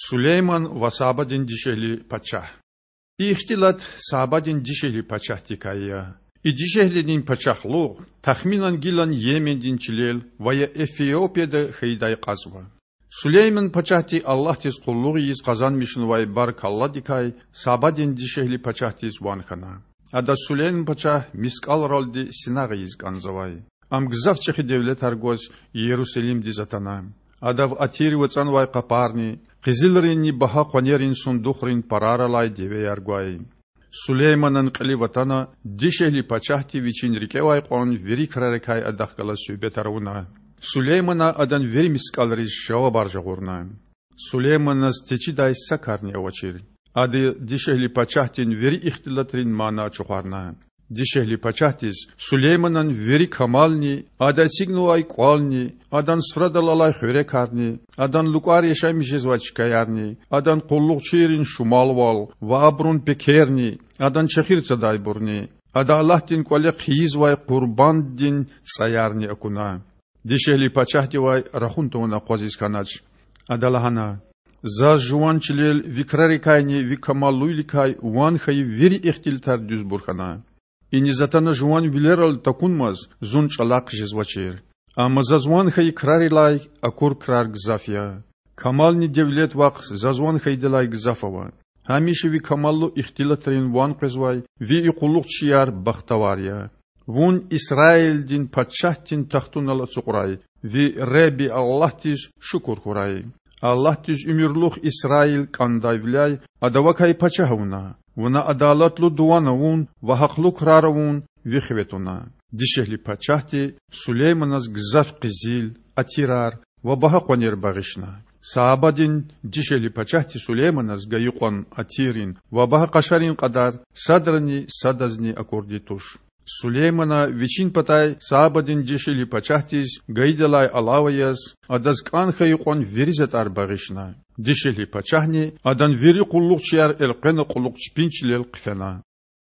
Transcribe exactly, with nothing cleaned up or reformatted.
Сулейман ва Сабадин дишегьли пачагь. И ихтилат Сабадин дишегьли пачагьдикай я. И дишегьлидин пачагьлугъ тахминан гилан Йемендин чилел ва я Эфиопияда хьайидай кьазва. Сулейман пачагьди Аллагьдиз къуллугъ ийиз къазанмишнавай баркалладикай Сабадин дишегьли пачагьдиз ван хьана. Адаз Сулейман пачагь мискІалралди синагъ ийиз кІанзавай. Ам гзаф чІехи девлетар гваз Ярусалимдиз атана. Адав атирив ацІанвай къапарни, къизилринни багьа къванерин сундухрин парар алай девеяр гвай. Сулейманан кьилив атана, дишегьли пачагьди вичин рикІевай кьван вири крарикай адахъ галаз суьгьбетар авуна. Сулеймана адан вири мискІалриз жавабар жагъурна. Сулейманаз течидай са карни авачир. Ада дишегьли пачагьдин вири ихтилатрин мана ачухарна. Дишегьли пачагьдиз Сулейманан вири камални, ада эцигнавай кІвални, адан суфрадал алай хуьрекарни, адан лукІар яшамиш жезвай чкаярни, адан къуллугъчийрин шумалвал ва абурун пекерни, адан чехир цадайбурни, ада Аллагьдин кІвале хъийизвай къурбанддин цІаярни акуна. Дишегьли пачагьдивай рахун тавуна акъвазиз хьанач. Ада лагьана: Заз жуван чилел ви крарикайни ви камаллувиликай ван хьайи вири ихтилатар дуьзбур хьана. Иниз атана жуван вилералди такунмаз зун чІалахъ жезвачир. Амма заз ван хьайи крарилай акур крар гзаф я. Камални девлет вахъ заз ван хьайидалай гзаф ава. Гьамиша ви камаллу ихтилатрин ван къвезвай ви и къуллугъчияр бахтавар я. Вун Исраилдин пачагьдин тахтунал ацукьрай ви Худа Аллагьдиз шукур хьурай. Аллагьдиз уьмуьрлух Исраил кІандайвиляй Ада вакай пачагь авуна. Вуна адалатлу дуван авун ва гьахълу крар авун ви хиве туна. Дишегьли пачагьди Сулейманаз гзаф къизил, атирар ва багьа къванер багъишна. Саабадин дишегьли пачагьди Сулейманаз гайи кьван атиррин ва багьа къашарин кьадар садрани садазни акурди туш. Сулеймана вичин патай Саабадин дишегьли пачагьдиз гайидалай алава яз, адаз кІан хьайи кьван вири затІар багъишна. Дишегьли пачагьни адан вири къуллугъчияр элкъвена кьулухъ чпин чилел хъфена.